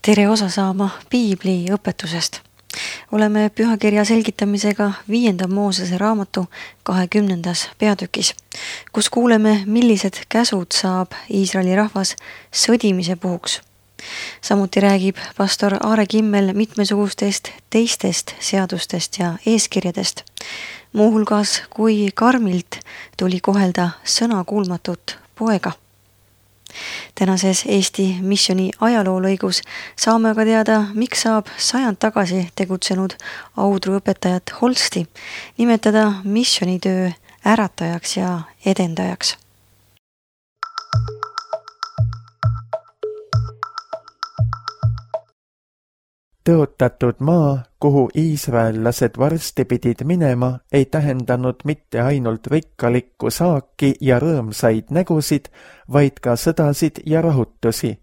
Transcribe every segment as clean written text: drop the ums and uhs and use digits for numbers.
Tere osa saama Piibli õpetusest. Oleme pühakirja selgitamisega 5. Moosese raamatu 20. peatükis, kus kuuleme, millised käsud saab Iisraeli rahvas sõdimise puhuks. Samuti räägib pastor Aare Kimmel mitmesugustest teistest seadustest ja eeskirjadest, muuhulgas kui karmilt tuli kohelda sõnakuulmatut poega. Tänases Eesti missiooni ajaloolõigus saame aga teada, miks saab 100 tagasi tegutsenud Audru õpetajat Holsti nimetada missioonitöö äratajaks ja edendajaks. Tõotatud maa, kuhu iisraellased varsti pidid minema, ei tähendanud mitte ainult rikkalikku saaki ja rõõmsaid nägusid, vaid ka sõdasid ja rahutusi.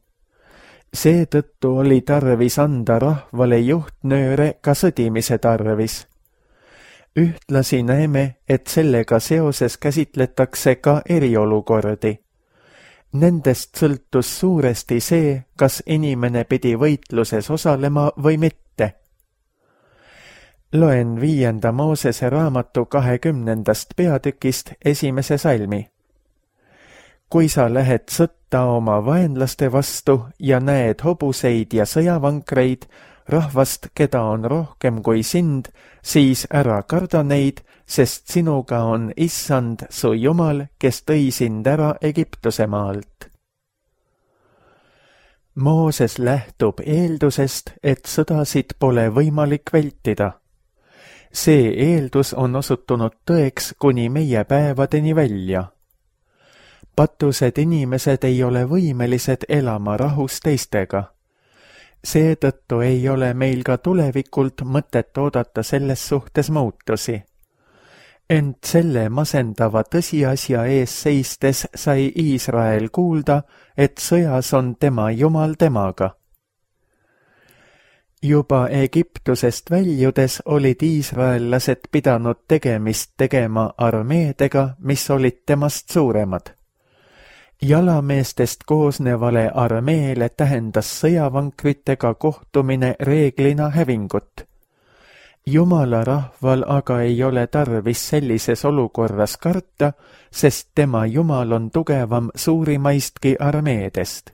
Seetõttu oli tarvis anda rahvale juhtnööre ka sõdimise tarvis. Ühtlasi näeme, et sellega seoses käsitletakse ka eriolukordi. Nendest sõltus suuresti see, kas inimene pidi võitluses osalema või mitte. Loen 5. Moosese raamatu 20. peatükist 1. salmi. Kui sa lähed sõtta oma vaenlaste vastu ja näed hobuseid ja sõjavankreid, rahvast, keda on rohkem kui sind, siis ära karda neid, sest sinuga on Issand, su Jumal, kes tõi sind ära Egiptuse maalt. Mooses lähtub eeldusest, et sõdasid pole võimalik vältida. See eeldus on osutunud tõeks kuni meie päevadeni välja. Patused inimesed ei ole võimelised elama rahus teistega. Seetõttu ei ole meil ka tulevikult mõtet oodata selles suhtes muutusi. Ent selle masendava tõsiasja ees seistes sai Iisrael kuulda, et sõjas on tema Jumal temaga. Juba Egiptusest väljudes olid iisraellased pidanud tegemist tegema armeedega, mis olid temast suuremad. Jalameestest koosnevale armeele tähendas sõjavankritega kohtumine reeglina hävingut. Jumala rahval aga ei ole tarvis sellises olukorras karta, sest tema Jumal on tugevam suurimaistki armeedest.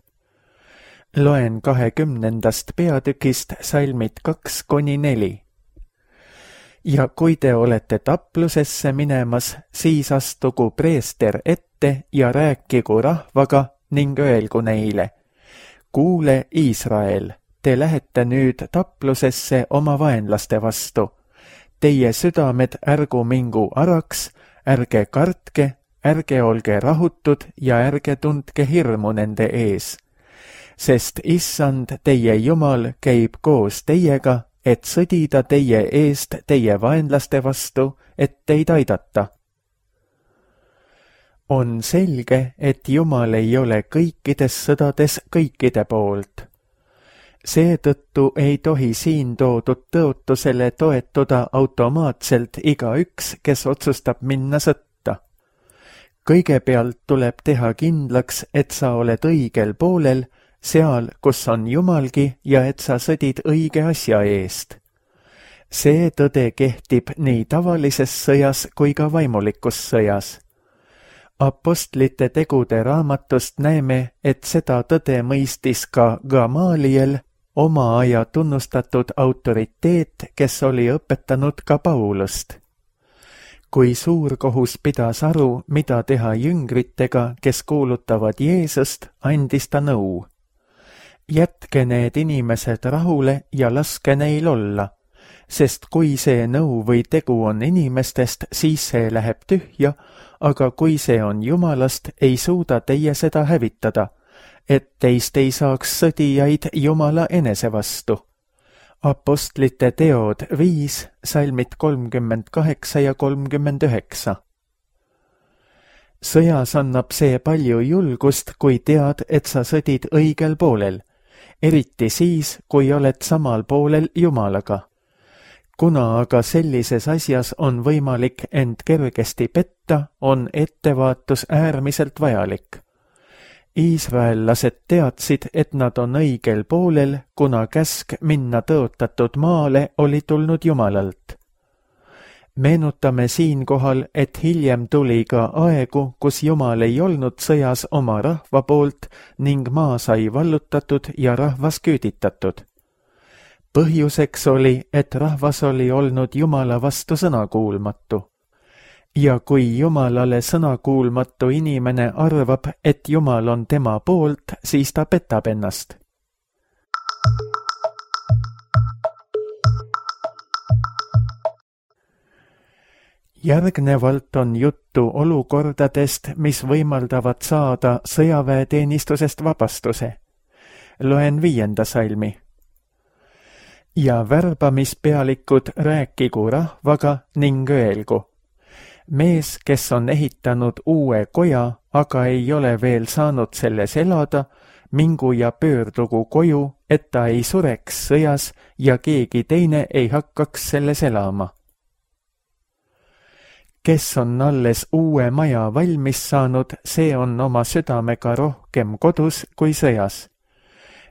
Loen 20. peatükist salmid 2-4. Ja kui te olete taplusesse minemas, siis astugu preester ette ja rääkigu rahvaga ning öelgu neile: kuule, Iisrael, te lähete nüüd taplusesse oma vaenlaste vastu. Teie südamed ärgu mingu araks, ärge kartke, ärge olge rahutud ja ärge tundke hirmu nende ees. Sest Issand, teie Jumal, käib koos teiega, et sõdida teie eest teie vaenlaste vastu, et teid aidata. On selge, et Jumal ei ole kõikides sõdades kõikide poolt. Seetõttu ei tohi siin toodud tõotusele toetuda automaatselt igaüks, kes otsustab minna sõtta. Kõigepealt tuleb teha kindlaks, et sa oled õigel poolel, seal, kus on Jumalgi ja et sa sõdid õige asja eest. See tõde kehtib nii tavalises sõjas kui ka vaimulikus sõjas. Apostlite tegude raamatust näeme, et seda tõde mõistis ka Gamaliel, oma aja tunnustatud autoriteet, kes oli õpetanud ka Paulust. Kui suurkohus pidas aru, mida teha jüngritega, kes kuulutavad Jeesust, andis ta nõu. Jätke need inimesed rahule ja laske neil olla, sest kui see nõu või tegu on inimestest, siis see läheb tühja, aga kui see on Jumalast, ei suuda teie seda hävitada, et teist ei saaks sõdijaid Jumala enese vastu. Apostlite teod 5, salmid 38 ja 39. Sõjas annab see palju julgust, kui tead, et sa sõdid õigel poolel, eriti siis, kui oled samal poolel Jumalaga. Kuna aga sellises asjas on võimalik end kergesti petta, on ettevaatus äärmiselt vajalik. Iisraellased teadsid, et nad on õigel poolel, kuna käsk minna tõotatud maale oli tulnud Jumalalt. Meenutame siinkohal, et hiljem tuli ka aegu, kus Jumal ei olnud sõjas oma rahva poolt ning maa sai vallutatud ja rahvas küüditatud. Põhjuseks oli, et rahvas oli olnud Jumala vastu sõnakuulmatu. Ja kui Jumalale sõnakuulmatu inimene arvab, et Jumal on tema poolt, siis ta petab ennast. Järgnevalt on juttu olukordadest, mis võimaldavad saada sõjaväeteenistusest vabastuse. Loen 5. salmi. Ja värbamispealikud rääkigu rahvaga ning öelgu. Mees, kes on ehitanud uue koja, aga ei ole veel saanud selles elada, mingu ja pöördugu koju, et ta ei sureks sõjas ja keegi teine ei hakkaks selles elama. Kes on alles uue maja valmis saanud, see on oma südamega rohkem kodus kui sõjas.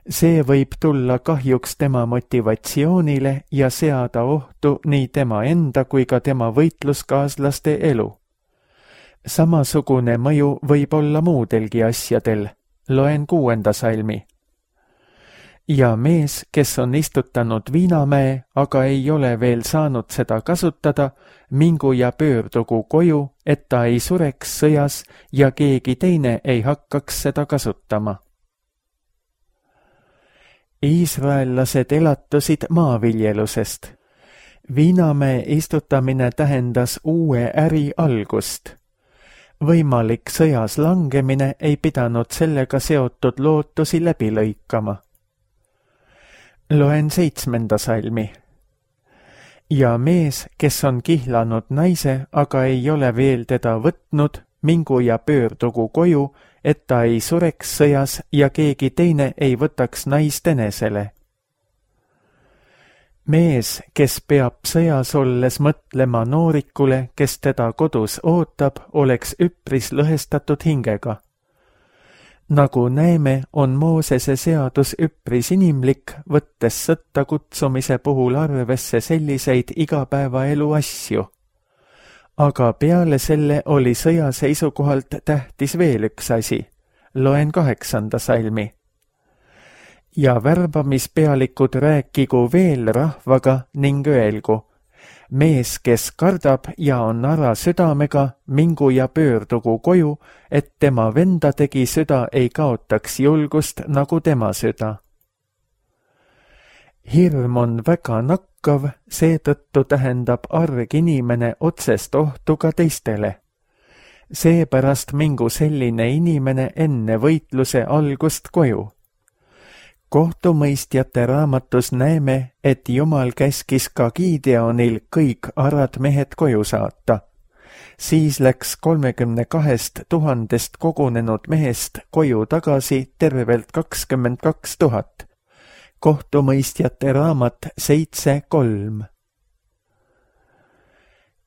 See võib tulla kahjuks tema motivatsioonile ja seada ohtu nii tema enda kui ka tema võitluskaaslaste elu. Samasugune mõju võib olla muudelgi asjadel. Loen 6. salmi. Ja mees, kes on istutanud viinamäe, aga ei ole veel saanud seda kasutada, mingu ja pöördugu koju, et ta ei sureks sõjas ja keegi teine ei hakkaks seda kasutama. Iisraellased elatusid maaviljelusest. Viinamäe istutamine tähendas uue äri algust. Võimalik sõjas langemine ei pidanud sellega seotud lootusi läbi lõikama. Loen 7. salmi. Ja mees, kes on kihlanud naise, aga ei ole veel teda võtnud, mingu ja pöördugu koju, et ta ei sureks sõjas ja keegi teine ei võtaks naist enesele. Mees, kes peab sõjas olles mõtlema noorikule, kes teda kodus ootab, oleks üpris lõhestatud hingega. Nagu näeme, on Moosese seadus üpris inimlik, võttes sõtta kutsumise puhul arvesse selliseid igapäevaelu asju. Aga peale selle oli sõja seisukohalt tähtis veel üks asi. Loen 8. salmi. Ja värbamispealikud rääkigu veel rahvaga ning öelgu. Mees, kes kardab ja on ara südamega, mingu ja pöördugu koju, et tema vendadegi süda ei kaotaks julgust nagu tema süda. Hirm on väga nakkav, seetõttu tähendab arg inimene otsest ohtu ka teistele. Seepärast mingu selline inimene enne võitluse algust koju. Kohtumõistjate raamatus näeme, et Jumal käskis ka Gideonil kõik arad mehed koju saata. Siis läks 32 000 kogunenud mehest koju tagasi tervelt 22 000. Kohtumõistjate raamat 7.3.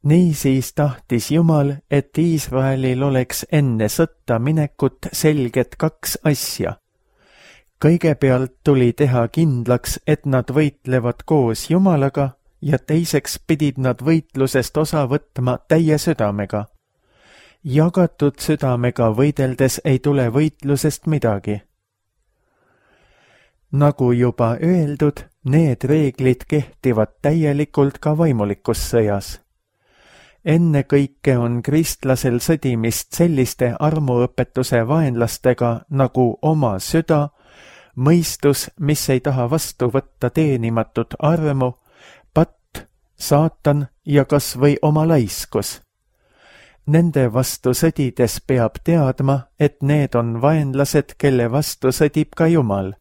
Niisiis tahtis Jumal, et Iisraelil oleks enne sõtta minekut selged 2 asja. Kõigepealt tuli teha kindlaks, et nad võitlevad koos Jumalaga ja teiseks pidid nad võitlusest osa võtma täie südamega. Jagatud südamega võideldes ei tule võitlusest midagi. Nagu juba öeldud, need reeglid kehtivad täielikult ka vaimulikus sõjas. Ennekõike on kristlasel sõdimist selliste armuõpetuse vaenlastega nagu oma süda, mõistus, mis ei taha vastu võtta teenimatut armu, patt, saatan ja kas või oma laiskus. Nende vastu sõdides peab teadma, et need on vaenlased, kelle vastu sõdib ka Jumal.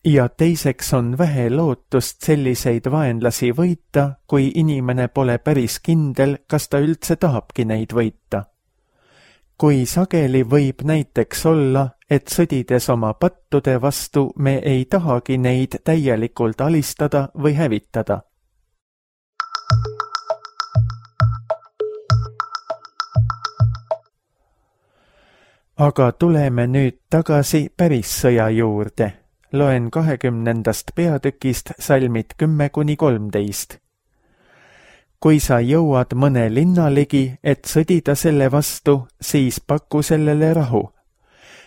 Ja teiseks on vähe lootust selliseid vaenlasi võita, kui inimene pole päris kindel, kas ta üldse tahabki neid võita. Kui sageli võib näiteks olla, et sõdides oma pattude vastu me ei tahagi neid täielikult alistada või hävitada. Aga tuleme nüüd tagasi päris sõja juurde. Loen 20. peatükist salmid 10–13. Kui sa jõuad mõne linna ligi, et sõdida selle vastu, siis paku sellele rahu.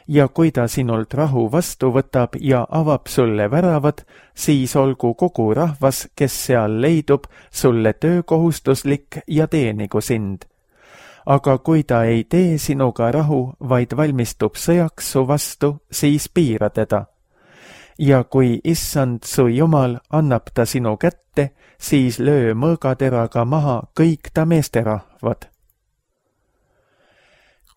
Ja kui ta sinult rahu vastu võtab ja avab sulle väravad, siis olgu kogu rahvas, kes seal leidub, sulle töökohustuslik ja teenigu sind. Aga kui ta ei tee sinuga rahu, vaid valmistub sõjaks su vastu, siis piira teda. Ja kui issand su Jumal annab ta sinu kätte, siis löö mõõgateraga maha kõik ta meesterahvad.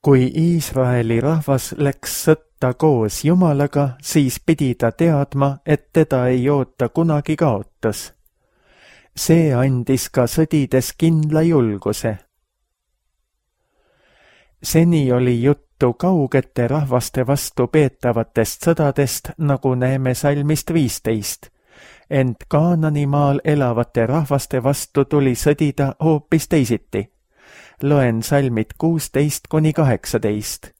Kui Iisraeli rahvas läks sõtta koos Jumalaga, siis pidi ta teadma, et teda ei oota kunagi kaotas. See andis ka sõdides kindla julguse. Seni oli juttu kaugete rahvaste vastu peetavatest sõdadest, nagu näeme salmist 15, ent Kaananimaal elavate rahvaste vastu tuli sõdida hoopis teisiti. Loen salmid 16–18.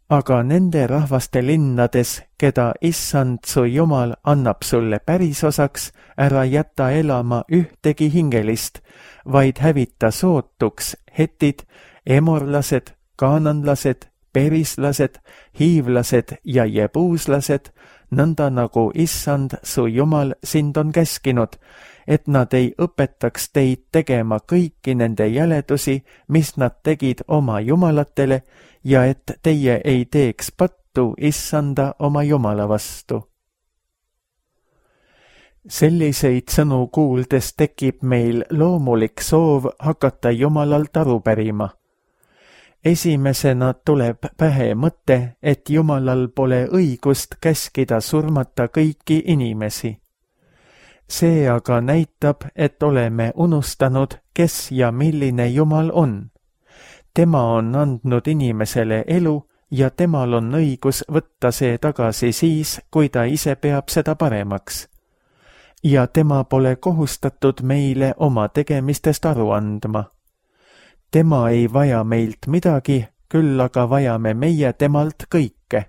Aga nende rahvaste linnades, keda issand su Jumal annab sulle pärisosaks, ära jäta elama ühtegi hingelist, vaid hävita sootuks hetid, emorlased, kaananlased, perislased, hiivlased ja jebuuslased, nõnda nagu issand su Jumal sind on käskinud, et nad ei õpetaks teid tegema kõiki nende jäledusi, mis nad tegid oma jumalatele, ja et teie ei teeks pattu issanda oma Jumala vastu. Selliseid sõnu kuuldes tekib meil loomulik soov hakata Jumalalt aru pärima. Esimesena tuleb pähe mõte, et Jumalal pole õigust käskida surmata kõiki inimesi. See aga näitab, et oleme unustanud, kes ja milline Jumal on. Tema on andnud inimesele elu ja temal on õigus võtta see tagasi siis, kui ta ise peab seda paremaks. Ja tema pole kohustatud meile oma tegemistest aru andma. Tema ei vaja meilt midagi, küll aga vajame meie temalt kõike.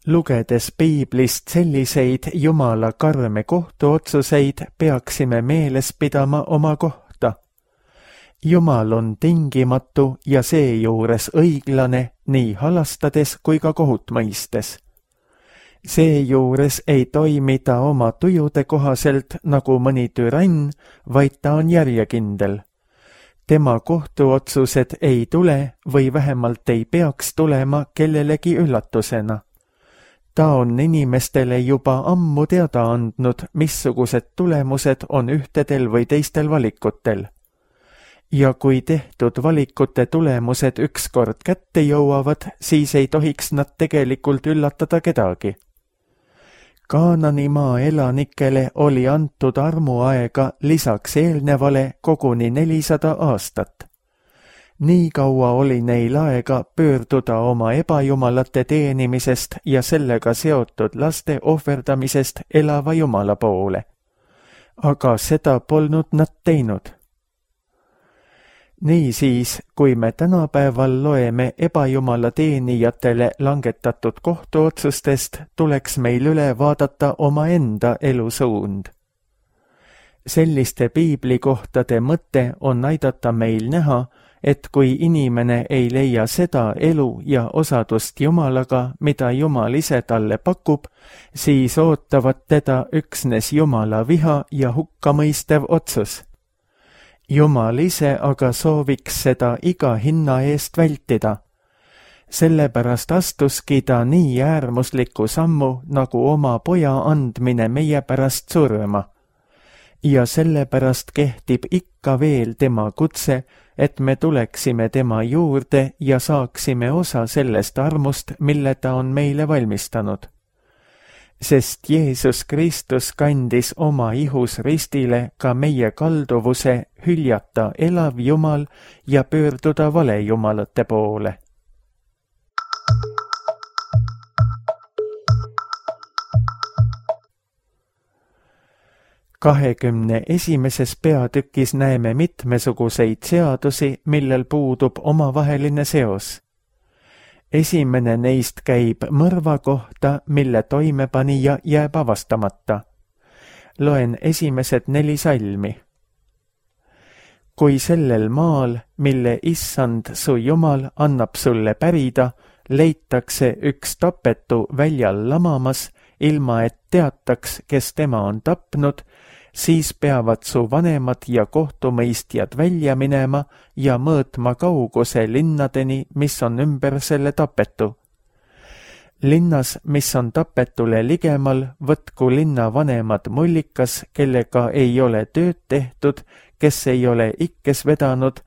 Lugedes Piiblist selliseid Jumala karme kohtuotsuseid, peaksime meeles pidama oma kohta. Jumal on tingimatu ja seejuures õiglane nii halastades kui ka kohut mõistes. Seejuures ei toimi ta oma tujude kohaselt nagu mõni türann, vaid ta on järjekindel. Tema kohtuotsused ei tule või vähemalt ei peaks tulema kellelegi üllatusena. Ta on inimestele juba ammu teada andnud, missugused tulemused on ühtedel või teistel valikutel. Ja kui tehtud valikute tulemused ükskord kätte jõuavad, siis ei tohiks nad tegelikult üllatada kedagi. Kaananimaa elanikele oli antud armuaega lisaks eelnevale koguni 400 aastat. Nii kaua oli neil aega pöörduda oma ebajumalate teenimisest ja sellega seotud laste ohverdamisest elava Jumala poole. Aga seda polnud nad teinud. Niisiis, kui me tänapäeval loeme ebajumala teenijatele langetatud kohtuotsustest, tuleks meil üle vaadata omaenda elusuund. Selliste piiblikohtade mõte on aidata meil näha, et kui inimene ei leia seda elu ja osadust Jumalaga, mida Jumal ise talle pakub, siis ootavad teda üksnes Jumala viha ja hukkamõistev otsus. Jumal ise aga sooviks seda iga hinna eest vältida. Sellepärast astuski ta nii äärmusliku sammu nagu oma poja andmine meie pärast surma. Ja sellepärast kehtib ikka veel tema kutse, et me tuleksime tema juurde ja saaksime osa sellest armust, mille ta on meile valmistanud. Sest Jeesus Kristus kandis oma ihus ristile ka meie kalduvuse hüljata elav Jumal ja pöörduda valejumalate poole. 21. peatükis näeme mitmesuguseid seadusi, millel puudub omavaheline seos. Esimene neist käib mõrva kohta, mille toimepanija jääb avastamata. Loen esimesed 4 salmi. Kui sellel maal, mille issand su Jumal annab sulle pärida, leitakse üks tapetu väljal lamamas, ilma et teataks, kes tema on tapnud, siis peavad su vanemad ja kohtumõistjad välja minema ja mõõtma kauguse linnadeni, mis on ümber selle tapetu. Linnas, mis on tapetule ligemal, võtku linna vanemad mullikas, kellega ei ole tööd tehtud, kes ei ole ikkes vedanud,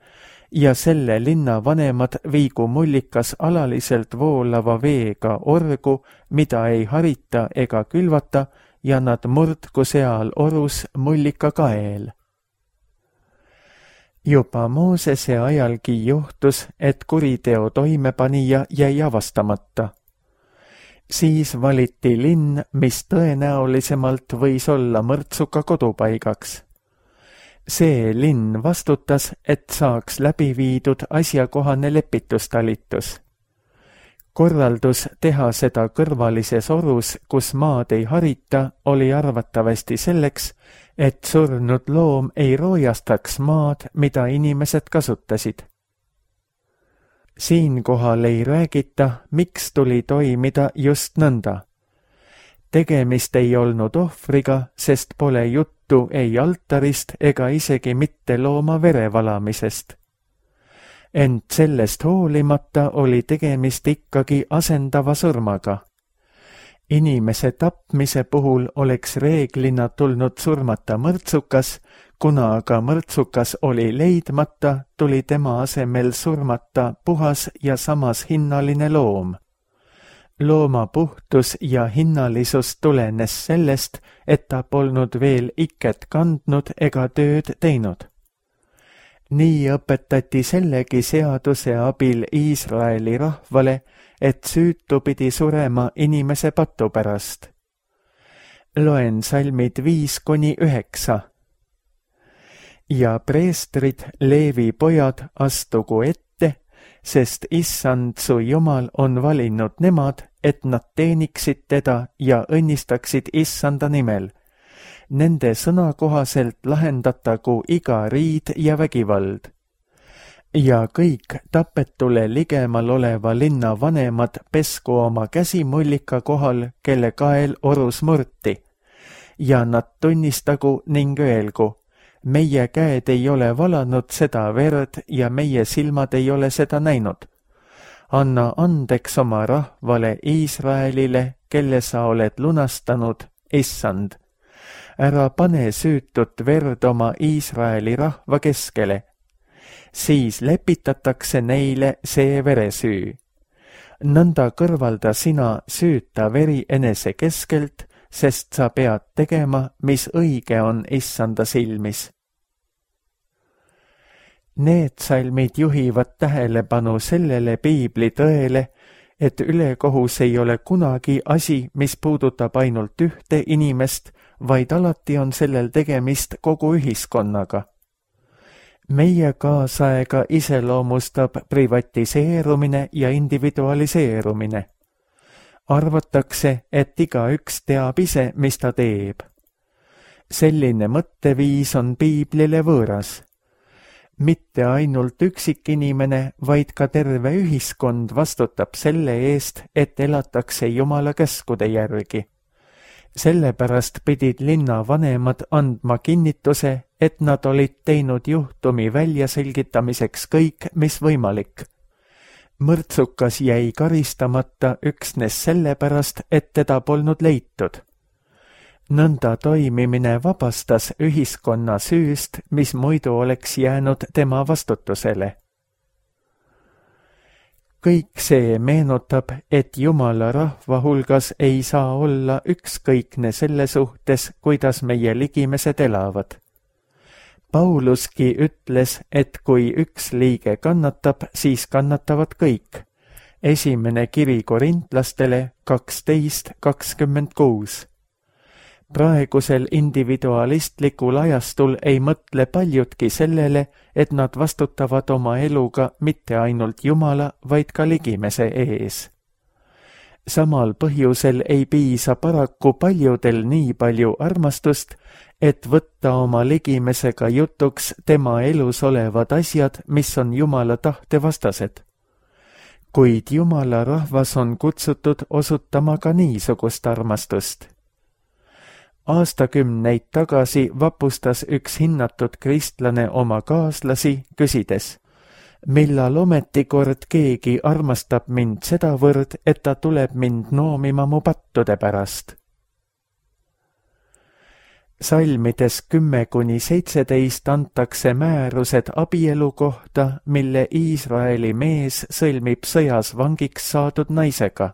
ja selle linna vanemad viigu mullikas alaliselt voolava veega orgu, mida ei harita ega külvata, ja nad murdku seal orus mullika kael. Juba Moosese ajalgi juhtus, et kuriteo toimepanija jäi avastamata. Siis valiti linn, mis tõenäolisemalt võis olla mõrtsuka kodupaigaks. See linn vastutas, et saaks läbi viidud asjakohane lepitustalitus. Korraldus teha seda kõrvalises orus, kus maad ei harita, oli arvatavasti selleks, et surnud loom ei roojastaks maad, mida inimesed kasutasid. Siinkohal ei räägita, miks tuli toimida just nõnda. Tegemist ei olnud ohvriga, sest pole juttu ei altarist ega isegi mitte looma verevalamisest. Ent sellest hoolimata oli tegemist ikkagi asendava surmaga. Inimese tapmise puhul oleks reeglina tulnud surmata mõrtsukas, kuna aga mõrtsukas oli leidmata, tuli tema asemel surmata puhas ja samas hinnaline loom. Looma puhtus ja hinnalisus tulenes sellest, et ta polnud veel iket kandnud ega tööd teinud. Nii õpetati sellegi seaduse abil Iisraeli rahvale, et süütu pidi surema inimese patu pärast. Loen salmid 5-9. Ja preestrid, Leevi pojad, astugu ette, sest issand su Jumal on valinud nemad, et nad teeniksid teda ja õnnistaksid issanda nimel. Nende sõna kohaselt lahendatagu iga riid ja vägivald. Ja kõik tapetule ligemal oleva linna vanemad pesku oma käsi mullika kohal, kelle kael orus murti. Ja nad tunnistagu ning öelgu, meie käed ei ole valanud seda verd ja meie silmad ei ole seda näinud. Anna andeks oma rahvale Iisraelile, kelle sa oled lunastanud, issand. Ära pane süütut verd oma Iisraeli rahva keskele. Siis lepitatakse neile see veresüü. Nõnda kõrvalda sina süüta veri enese keskelt, sest sa pead tegema, mis õige on issanda silmis. Need salmid juhivad tähelepanu sellele piibli tõele, et ülekohus ei ole kunagi asi, mis puudutab ainult ühte inimest, vaid alati on sellel tegemist kogu ühiskonnaga. Meie kaasaega iseloomustab privatiseerumine ja individualiseerumine. Arvatakse, et igaüks teab ise, mis ta teeb. Selline mõtteviis on piiblile võõras. Mitte ainult üksikinimene, vaid ka terve ühiskond vastutab selle eest, et elatakse Jumala käskude järgi. Sellepärast pidid linna vanemad andma kinnituse, et nad olid teinud juhtumi väljaselgitamiseks kõik, mis võimalik. Mõrtsukas jäi karistamata üksnes sellepärast, et teda polnud leitud. Nõnda toimimine vabastas ühiskonna süüst, mis muidu oleks jäänud tema vastutusele. Kõik see meenutab, et Jumala rahva hulgas ei saa olla ükskõikne selle suhtes, kuidas meie ligimesed elavad. Pauluski ütles, et kui üks liige kannatab, siis kannatavad kõik. Esimene kiri korintlastele 12:26. Praegusel individualistlikul ajastul ei mõtle paljudki sellele, et nad vastutavad oma eluga mitte ainult Jumala, vaid ka ligimese ees. Samal põhjusel ei piisa paraku paljudel nii palju armastust, et võtta oma ligimesega jutuks tema elus olevad asjad, mis on Jumala tahte vastased. Kuid Jumala rahvas on kutsutud osutama ka niisugust armastust. Aastakümneid tagasi vapustas üks hinnatud kristlane oma kaaslasi, küsides, millal ometi kord keegi armastab mind sedavõrd, et ta tuleb mind noomima mu pattude pärast. Salmides 10-17 antakse määrused abielu kohta, mille Iisraeli mees sõlmib sõjas vangiks saadud naisega.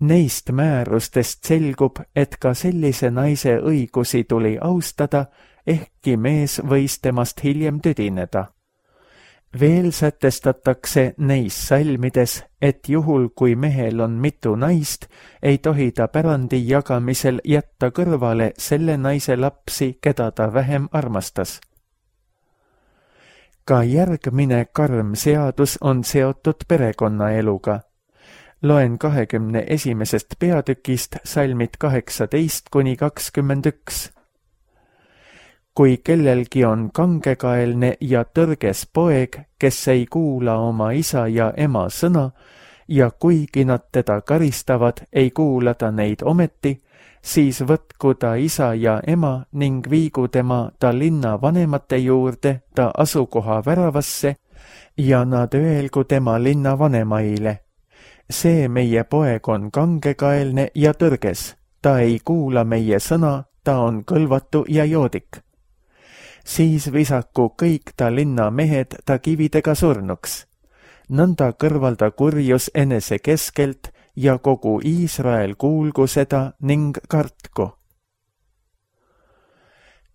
Neist määrustest selgub, et ka sellise naise õigusi tuli austada, ehkki mees võis temast hiljem tüdineda. Veel sätestatakse neis salmides, et juhul kui mehel on mitu naist, ei tohi ta pärandi jagamisel jätta kõrvale selle naise lapsi, keda ta vähem armastas. Ka järgmine karm seadus on seotud perekonnaeluga. Loen 21. peatükist salmid 18-21. Kui kellelgi on kangekaelne ja tõrges poeg, kes ei kuula oma isa ja ema sõna, ja kuigi nad teda karistavad, ei kuula ta neid ometi, siis võtku ta isa ja ema ning viigu tema ta linna vanemate juurde ta asukoha väravasse ja nad öelgu tema linna vanemaile. See meie poeg on kangekaelne ja tõrges, ta ei kuula meie sõna, ta on kõlvatu ja joodik. Siis visaku kõik ta linna mehed ta kividega surnuks. Nõnda kõrvalda kurjus enese keskelt ja kogu Iisrael kuulgu seda ning kartku.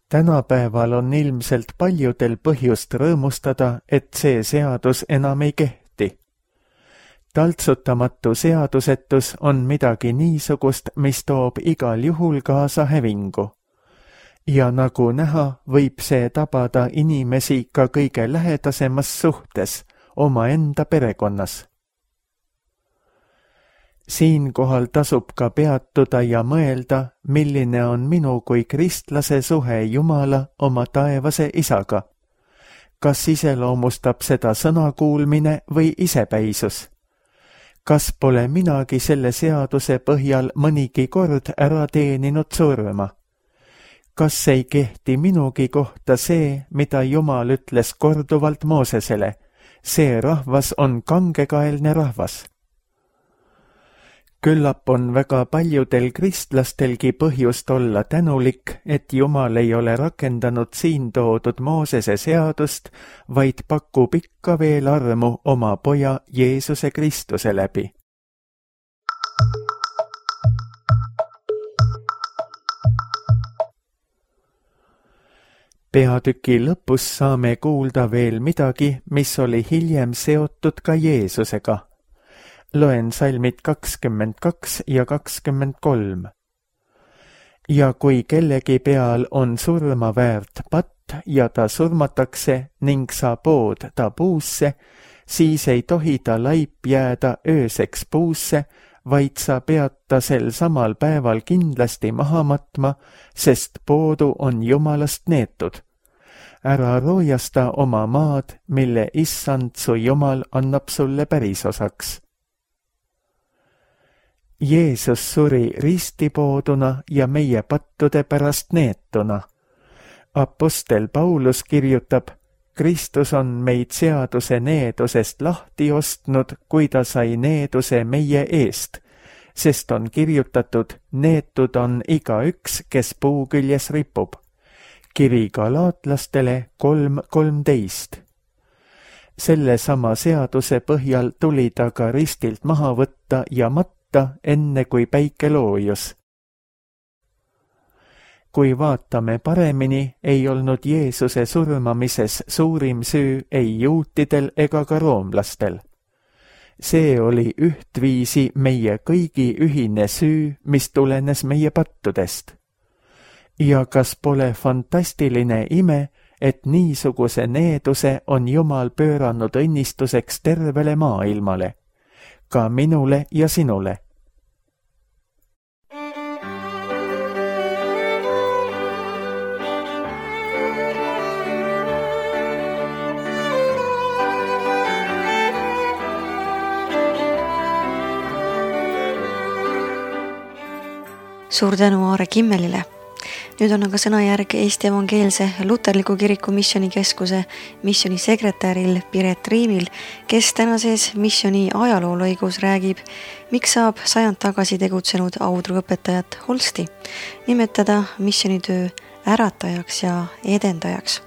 Tänapäeval on ilmselt paljudel põhjust rõõmustada, et see seadus enam ei kehti. Taltsutamatu seadusetus on midagi niisugust, mis toob igal juhul kaasa hävingu. Ja nagu näha, võib see tabada inimesi ka kõige lähedasemas suhtes, omaenda perekonnas. Siinkohal tasub ka peatuda ja mõelda, milline on minu kui kristlase suhe Jumala oma taevase isaga. Kas iseloomustab seda sõnakuulmine või isepäisus? Kas pole minagi selle seaduse põhjal mõnigi kord ära teeninud surma? Kas ei kehti minugi kohta see, mida Jumal ütles korduvalt Moosesele? See rahvas on kangekaelne rahvas. Küllap on väga paljudel kristlastelgi põhjust olla tänulik, et Jumal ei ole rakendanud siin toodud Moosese seadust, vaid pakub ikka veel armu oma poja Jeesuse Kristuse läbi. Peatüki lõpus saame kuulda veel midagi, mis oli hiljem seotud ka Jeesusega. Loen salmid 22 ja 23. Ja kui kellegi peal on surma väärt patt ja ta surmatakse ning sa pood ta puusse, siis ei tohi ta laip jääda ööseks puusse, vaid sa pead ta sel samal päeval kindlasti maha matma, sest poodu on Jumalast neetud. Ära roojasta oma maad, mille issand su Jumal annab sulle pärisosaks. Jeesus suri ristipooduna ja meie pattude pärast neetuna. Apostel Paulus kirjutab, Kristus on meid seaduse needusest lahti ostnud, kui ta sai needuse meie eest, sest on kirjutatud, neetud on igaüks, kes puu küljes ripub. Kiri galaatlastele 3:13. Selle sama seaduse põhjal tuli ta ka ristilt maha võtta ja matta, enne kui päike loojus. Kui vaatame paremini, ei olnud Jeesuse surmamises suurim süü ei juutidel ega ka roomlastel. See oli ühtviisi meie kõigi ühine süü, mis tulenes meie pattudest. Ja kas pole fantastiline ime, et niisuguse needuse on Jumal pööranud õnnistuseks tervele maailmale, ka minule ja sinule. Suur tänu Aare Kimmelile. Nüüd on aga sõnajärg Eesti Evangeelse Luterliku Kiriku Missioonikeskuse missioonisekretäril Piret Riimil, kes tänases missiooni ajaloolõigus räägib, miks saab 100 tagasi tegutsenud audruõpetajat Holsti nimetada missioonitöö äratajaks ja edendajaks.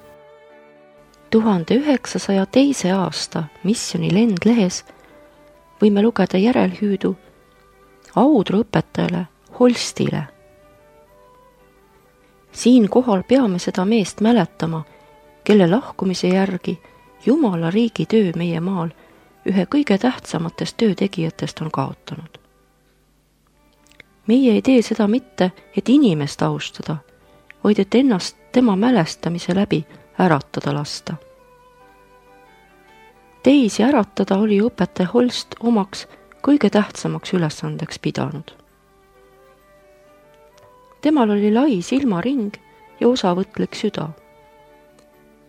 1902. aasta missiooni lendlehes võime lugeda järelhüüdu audruõpetajale Holstile. Siinkohal peame seda meest mäletama, kelle lahkumise järgi Jumala riigi töö meie maal ühe kõige tähtsamatest töötegijatest on kaotanud. Meie ei tee seda mitte, et inimest austada, vaid et ennast tema mälestamise läbi äratada lasta. Teisi äratada oli õpetaja Holst omaks kõige tähtsamaks ülesandeks pidanud. Temal oli lai silmaring ja osavõtlik süda.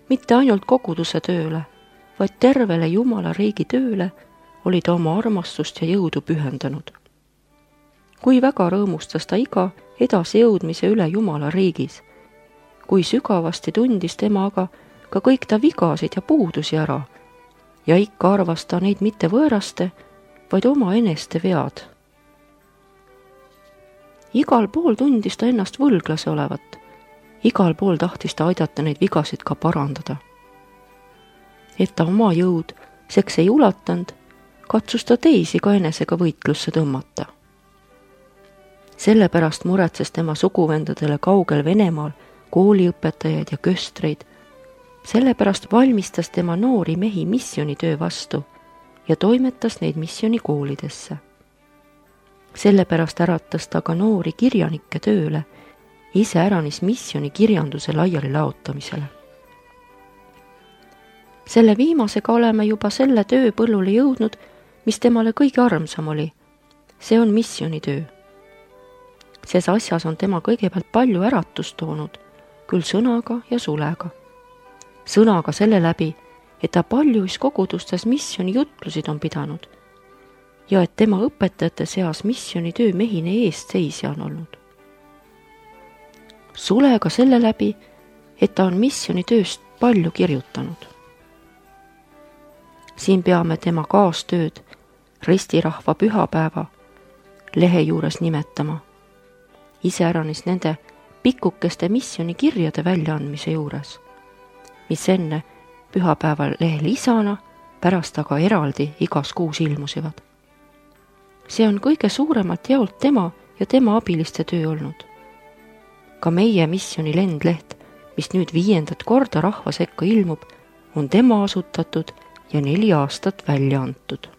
Mitte ainult koguduse tööle, vaid tervele Jumala riigi tööle oli ta oma armastust ja jõudu pühendanud. Kui väga rõõmustas ta iga edasi jõudmise üle Jumala riigis, kui sügavasti tundis tema aga ka kõik ta vigasid ja puudusi ära ja ikka arvas ta neid mitte võõraste, vaid oma eneste vead. Igal pool tundis ta ennast võlglase olevat. Igal pool tahtis ta aidata neid vigasid ka parandada. Et ta oma jõud seks ei ulatanud, katsus ta teisi ka enesega võitlusse tõmmata. Sellepärast muretses tema suguvendadele kaugel Venemaal kooliõpetajaid ja köstreid. Sellepärast valmistas tema noori mehi missioonitöö vastu ja toimetas neid missioonikoolidesse. Sellepärast äratas ta ka noori kirjanikke tööle, ise äranis missiooni kirjanduse laiali laotamisele. Selle viimasega oleme juba selle töö põllule jõudnud, mis temale kõige armsam oli. See on missioonitöö. Ses asjas on tema kõigepealt palju äratust toonud, küll sõnaga ja sulega. Sõnaga selle läbi, et ta paljuis kogudustes missiooni jutlusid on pidanud ja et tema õpetajate seas missioonitöö mehine eestseisja on olnud. Sulega selle läbi, et ta on missioonitööst palju kirjutanud. Siin peame tema kaastööd ristirahva pühapäeva lehe juures nimetama, iseäranis nende pikkukeste missioonikirjade väljaandmise juures, mis enne pühapäeval lehe lisana, pärast aga eraldi igas kuus ilmusivad. See on kõige suuremalt jaolt tema ja tema abiliste töö olnud. Ka meie missiooni lendleht, mis nüüd 5. korda rahva sekka ilmub, on tema asutatud ja 4 aastat välja antud.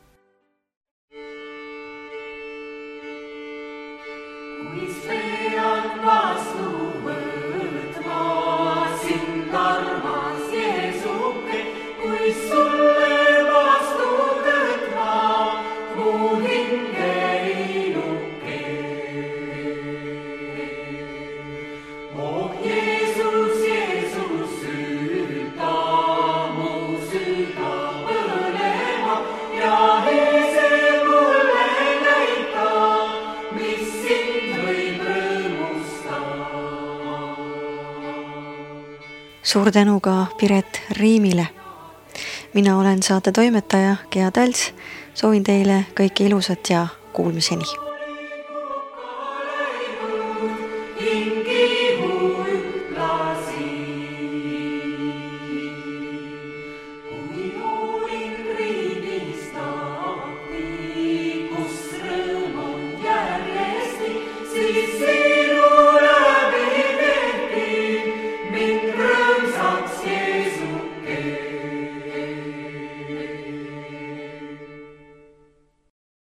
Suur tänu ka Piret Riimile. Mina olen saate toimetaja Gea Tals. Soovin teile kõike ilusat ja kuulmiseni.